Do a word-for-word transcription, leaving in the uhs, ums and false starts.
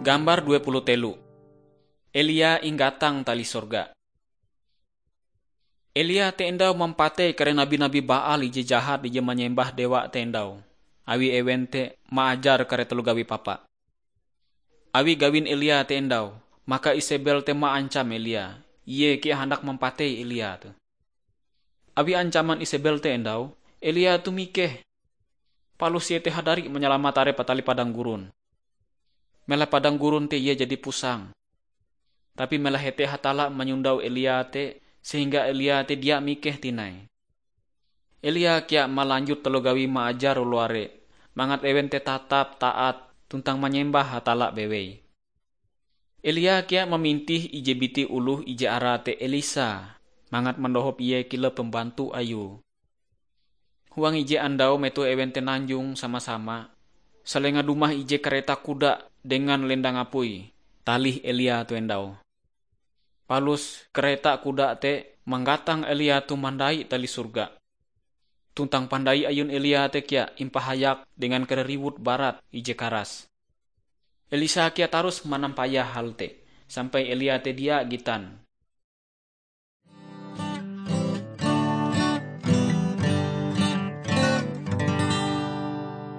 Gambar dua puluh telu. Elia inggatang tali sorga. Elia te endau mampatei kare nabi-nabi Baal ije jahat ije manyembah dewa te endau, awi ewen te maajar kare taloh gawi papa. Awi gawin Elia te endau, maka Isebel te maancam Elia, ie kea handak mampatei Elia te. Awi ancaman Isebel te endau, Elia tu mikeh. Palus ie te hadari manyalamat arepe tali padang gurun. Mela padang gurun te ie jadi pusang. Tapi mela hete Hatalla manyondau Elia te, sehingga Elia te dia mikeh tinai. Elia kea malanjut taloh gawi maajar oloh are, mangat ewen te tatap taat tuntang manyembah Hatalla bewei. Elia kea mamintih ije biti oloh ije arae te Elisa, mangat mandohop ie kilau pembantu ayue. Huang ije andau metoh ewen te nanjong sama-sama, salenga dumah ije kareta kuda dengan lendang apui, talih Elia tu endau. Palus kareta kuda te manggatang Elia tu mandai tali sorga. Tuntang pandai ayun Elia te kea impahayak dengan kare riwut barat ije karas. Elisa kea tarus manampayah hal te, sampai Elia te dia gitan.